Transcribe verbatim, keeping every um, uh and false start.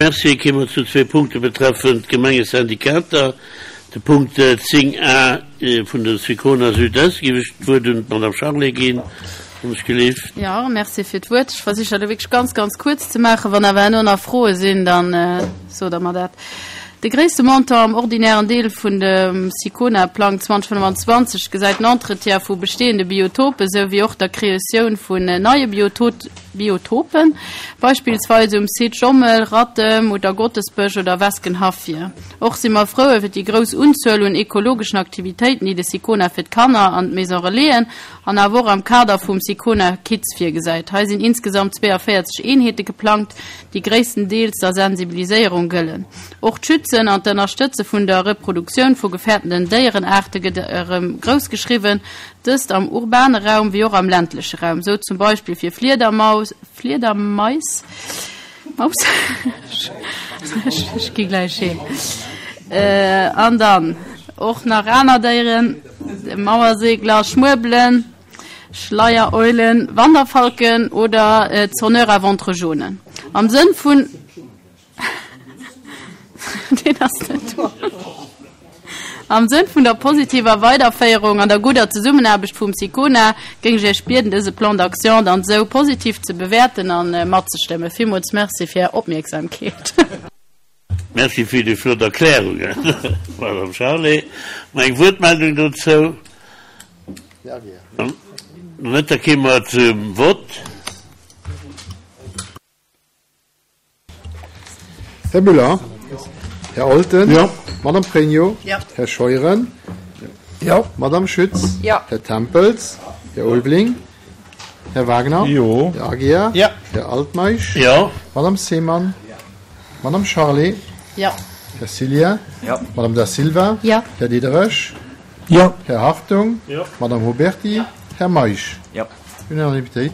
Merci. Kéime mer zu zwee Punkte betreffend d'Gemengesyndikater. De Punkt zéng a vun der Sicona Sud-Est géif ech d'Wuert un d'Madame Charlé ginn, wann ech gelift. Jo, merci fir d'Wuert. Ech versichen dat elo wierklech ganz, ganz kuerz ze maachen. Wann awer herno nach Froe sinn, da sot Der mer dat. De gréisste Montant am ordinären Deel vun dem Sicona-Plang zweedausendfënnwanzwanzeg gesäit den Entretien vu bestehende Biotope souwéi och der Kreatioun vun neie Biotopen, beispillsweis um Site Jommel, Rattem oder Gottesbësch oder Weskenhaff vir. Och si mer frou iwwer déi grouss Unzuel un ekologeschen Aktivitéiten, déi de Sicona fir d'Kanner an d'Maison Relaisen an awer och am Kader vum Sicona Kids virgesäit. Hei sinn insgesamt zweeënvéierzeg Eenheete geplangt, déi gréisstendeels der Sensibiliséierung gëllen. Och d'Schützen an d'Ënnerstëtze vun der Reproduktioun vu gefährdenden Déierenaarte gëtt erëm grouss geschriwwen, dëst am urbane Raum wéi och am ländleche Raum, sou zum Beispill fir Fliedermaus, Fliedermais, Maus, ech gi gläich heem, an dann och nach aner Déieren, Mauersegler, Schmuebelen, Schleiereulen, Wanderfalken oder Sonneurs à ventre jaune. Am Sënn vun. Deen ass net do. Am Sënn vun der positiver Weiderféierung an der gudder Zesummenaarbecht vum Sicona géing ech Iech bieden, dëse Plan d'action dann esou positiv ze bewäerten a matzestëmmen. Villmools Merci fir Är Opmierksamkeet. Merci fir déi flott Erklärungen, Madame Charlé. Nach eng Wuertmeldung dozou? Net? Da kéime mer zum Vott. Här Müller? Här Olten? Jo. Madame Pregno? Jo. Här Scheuren? Jo. Madame Schütz? Jo. Här Tempels? Här Ulveling? Här Wagner? Jo. Här Aguiar? Jo. Här Altmeisch? Jo. Madame Seemann? Jo. Madame Charlé? Jo. Här Cillien? Jo. Madame Da Silva? Jo. Här Diderich? Jo. Här Hartung? Jo. Madame Huberty? Jo. Här Meisch? Jo. Unanimitéit.